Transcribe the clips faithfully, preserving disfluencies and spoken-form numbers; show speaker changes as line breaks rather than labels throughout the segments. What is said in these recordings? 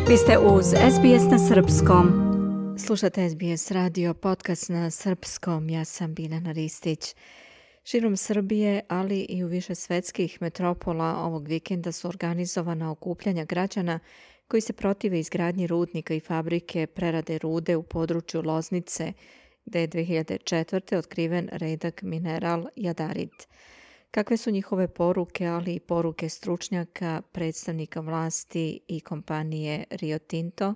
Vi ste uz S B S na srpskom. Slušate S B S radio, podcast na srpskom. Ja sam Biljana Ristić. Širom Srbije, ali i u više svetskih metropola ovog vikenda su organizovana okupljanja građana koji se protive izgradnji rudnika i fabrike prerade rude u području Loznice, gde je dve hiljade četvrte otkriven redak mineral jadarit. Kakve su njihove poruke, ali i poruke stručnjaka, predstavnika vlasti i kompanije Rio Tinto,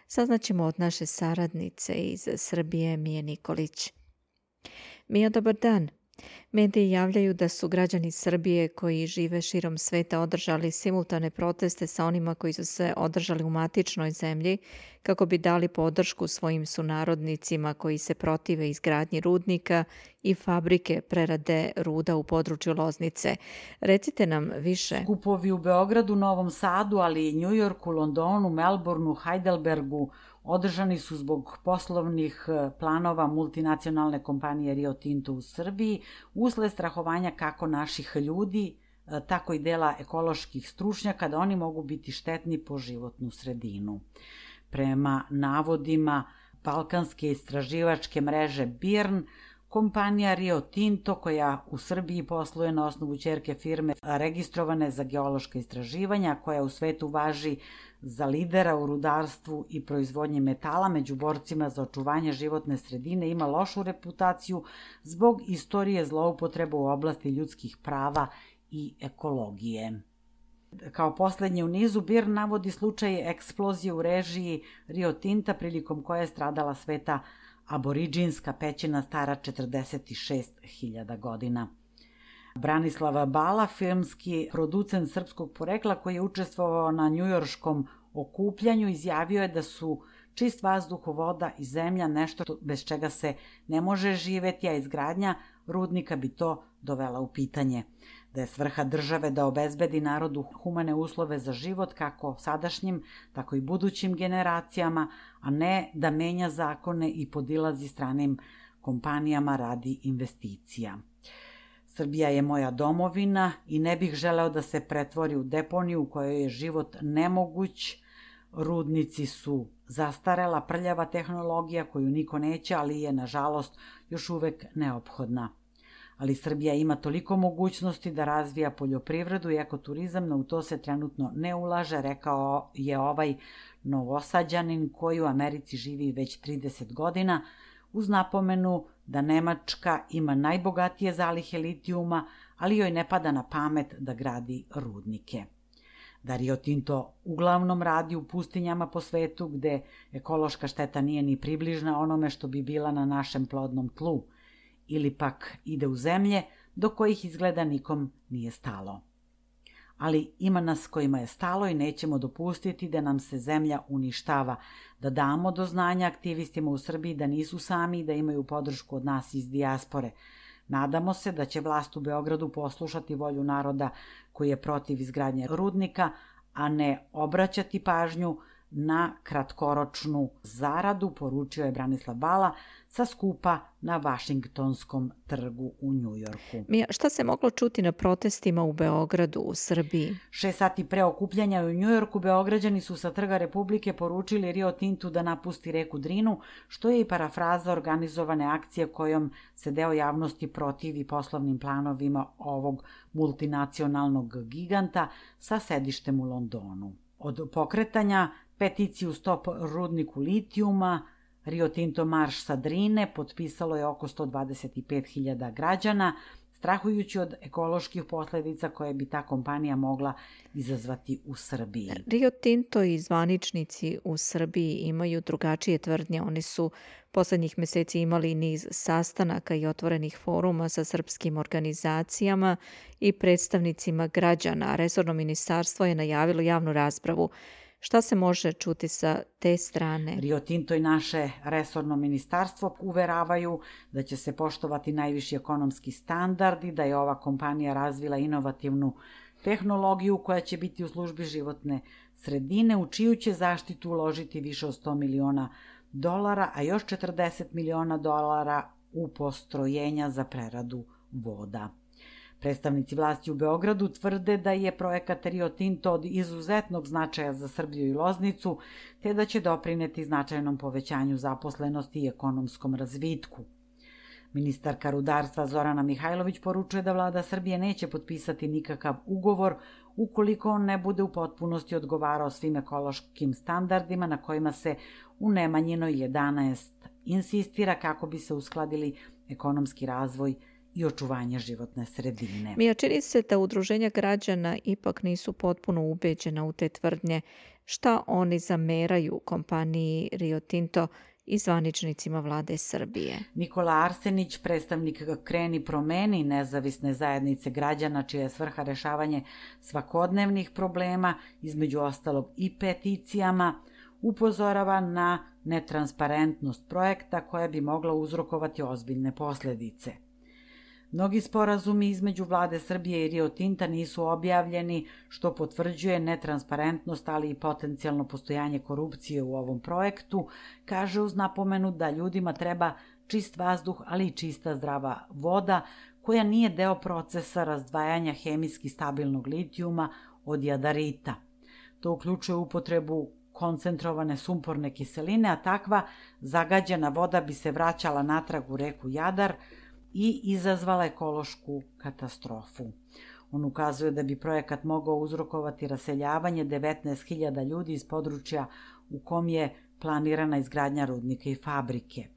saznaćemo od naše saradnice iz Srbije, Mije Nikolić. Mija, dobar dan. Mediji javljaju da su građani Srbije koji žive širom sveta održali simultane proteste sa onima koji su se održali u matičnoj zemlji kako bi dali podršku svojim sunarodnicima koji se protive izgradnji rudnika i fabrike prerade ruda u području Loznice. Recite nam više.
Skupovi u Beogradu, Novom Sadu, ali i Njujorku, Londonu, Melbourneu, Heidelbergu održani su zbog poslovnih planova multinacionalne kompanije Rio Tinto u Srbiji, usled strahovanja kako naših ljudi, tako i dela ekoloških stručnjaka da oni mogu biti štetni po životnu sredinu. Prema navodima balkanske istraživačke mreže B I R N, kompanija Rio Tinto, koja u Srbiji posluje na osnovu ćerke firme registrovane za geološka istraživanja, koja u svetu važi za lidera u rudarstvu i proizvodnji metala među borcima za očuvanje životne sredine, ima lošu reputaciju zbog istorije zloupotreba u oblasti ljudskih prava i ekologije. Kao poslednje u nizu, B I R N navodi slučaj eksplozije u režiji Rio Tinta prilikom koje je stradala sveta aboriđinska pećina stara četrdeset šest hiljada godina. Branislav Bala, filmski producent srpskog porekla koji je učestvovao na njujorškom okupljanju, izjavio je da su čist vazduh, voda i zemlja nešto bez čega se ne može živeti, a izgradnja rudnika bi to dovela u pitanje. Da je svrha države da obezbedi narodu humane uslove za život kako sadašnjim, tako i budućim generacijama, a ne da menja zakone i podilazi stranim kompanijama radi investicija. Srbija je moja domovina i ne bih želeo da se pretvori u deponiju u kojoj je život nemoguć. Rudnici su zastarela, prljava tehnologija koju niko neće, ali je, nažalost, još uvek neophodna. Ali Srbija ima toliko mogućnosti da razvija poljoprivredu i ekoturizam, no u to se trenutno ne ulaže, rekao je ovaj Novosađanin koji u Americi živi već trideset godina, uz napomenu da Nemačka ima najbogatije zalihe litijuma, ali joj ne pada na pamet da gradi rudnike. Da Rio Tinto uglavnom radi u pustinjama po svetu gde ekološka šteta nije ni približna onome što bi bila na našem plodnom tlu, ili pak ide u zemlje do kojih izgleda nikom nije stalo. Ali ima nas kojima je stalo i nećemo dopustiti da nam se zemlja uništava, da damo do znanja aktivistima u Srbiji da nisu sami i da imaju podršku od nas iz dijaspore. Nadamo se da će vlast u Beogradu poslušati volju naroda koji je protiv izgradnje rudnika, a ne obraćati pažnju na kratkoročnu zaradu, poručio je Branislav Bala sa skupa na Vašingtonskom trgu u Njujorku.
Mija, šta se moglo čuti na protestima u Beogradu, u Srbiji?
Šest sati pre okupljanja u Njujorku, Beograđani su sa Trga Republike poručili Rio Tintu da napusti reku Drinu, što je i parafraza organizovane akcije kojom se deo javnosti protivi poslovnim planovima ovog multinacionalnog giganta sa sedištem u Londonu. Od pokretanja peticiju Stop rudniku litijuma, Rio Tinto marš sa Drine potpisalo je oko sto dvadeset pet hiljada građana, strahujući od ekoloških posledica koje bi ta kompanija mogla izazvati u Srbiji.
Rio Tinto i zvaničnici u Srbiji imaju drugačije tvrdnje. Oni su poslednjih meseci imali niz sastanaka i otvorenih foruma sa srpskim organizacijama i predstavnicima građana. Resorno ministarstvo je najavilo javnu raspravu. Šta se može čuti sa te strane?
Rio Tinto i naše resorno ministarstvo uveravaju da će se poštovati najviši ekonomski standardi, da je ova kompanija razvila inovativnu tehnologiju koja će biti u službi životne sredine, u čiju će zaštitu uložiti više od sto miliona dolara, a još četrdeset miliona dolara u postrojenja za preradu voda. Predstavnici vlasti u Beogradu tvrde da je projekat Rio Tinto od izuzetnog značaja za Srbiju i Loznicu, te da će doprineti značajnom povećanju zaposlenosti i ekonomskom razvitku. Ministarka rudarstva Zorana Mihajlović poručuje da vlada Srbije neće potpisati nikakav ugovor ukoliko on ne bude u potpunosti odgovarao svim ekološkim standardima na kojima se u Nemanjinoj jedanaest insistira kako bi se uskladili ekonomski razvoj i očuvanje životne sredine.
Mija, čini se da udruženja građana ipak nisu potpuno ubeđena u te tvrdnje. Šta oni zameraju kompaniji Rio Tinto i zvaničnicima vlade Srbije?
Nikola Arsenić, predstavnik Kreni promeni, nezavisne zajednice građana čija je svrha rešavanje svakodnevnih problema, između ostalog i peticijama, upozorava na netransparentnost projekta koja bi mogla uzrokovati ozbiljne posledice. Mnogi sporazumi između vlade Srbije i Rio Tinta nisu objavljeni, što potvrđuje netransparentnost, ali i potencijalno postojanje korupcije u ovom projektu, kaže uz napomenu da ljudima treba čist vazduh, ali i čista zdrava voda, koja nije deo procesa razdvajanja hemijski stabilnog litijuma od jadarita. To uključuje upotrebu koncentrovane sumporne kiseline, a takva zagađena voda bi se vraćala natrag u reku Jadar i izazvala ekološku katastrofu. On ukazuje da bi projekat mogao uzrokovati raseljavanje devetnaest hiljada ljudi iz područja u kom je planirana izgradnja rudnika i fabrike.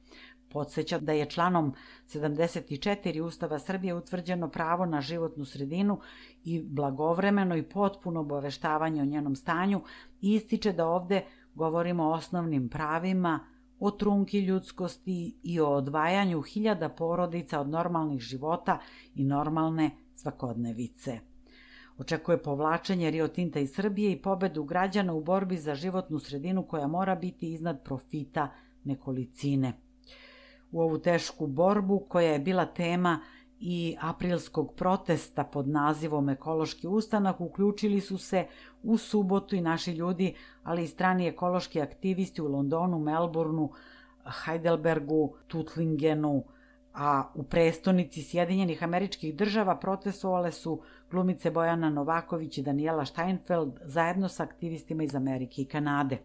Podsjeća da je članom sedamdeset četiri Ustava Srbije utvrđeno pravo na životnu sredinu i blagovremeno i potpuno obaveštavanje o njenom stanju i ističe da ovde govorimo o osnovnim pravima, o trunki ljudskosti i o odvajanju hiljada porodica od normalnih života i normalne svakodnevice. Očekuje povlačenje Rio Tinta iz Srbije i pobedu građana u borbi za životnu sredinu koja mora biti iznad profita nekolicine. U ovu tešku borbu, koja je bila tema i aprilskog protesta pod nazivom Ekološki ustanak, uključili su se u subotu i naši ljudi, ali i strani ekološki aktivisti u Londonu, Melbourneu, Heidelbergu, Tuttlingenu, a u prestonici Sjedinjenih Američkih Država protestovale su glumice Bojana Novaković i Daniela Steinfeld zajedno sa aktivistima iz Amerike i Kanade.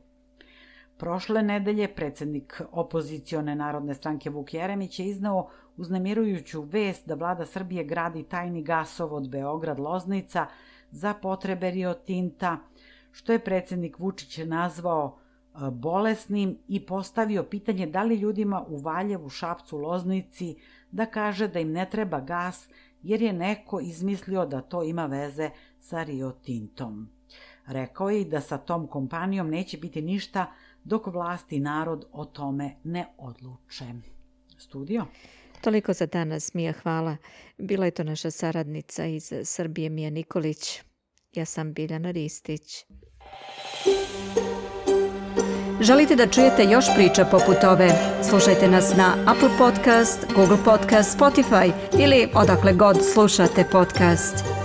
Prošle nedelje predsednik opozicione Narodne stranke Vuk Jeremić je izneo uznemirujuću vest da vlada Srbije gradi tajni gasovod Beograd-Loznica za potrebe Rio Tinta, što je predsednik Vučić nazvao bolesnim i postavio pitanje da li ljudima u Valjevu, Šapcu, Loznici da kaže da im ne treba gas jer je neko izmislio da to ima veze sa Rio Tintom. Rekao je i da sa tom kompanijom neće biti ništa dok vlast i narod o tome ne odluče. Studio?
Toliko za danas, Mija, hvala. Bila je to naša saradnica iz Srbije, Mija Nikolić. Ja sam Biljana Ristić. Želite da čujete još priča poput ove? Slušajte nas na Apple Podcast, Google Podcast, Spotify ili odakle god slušate podcast.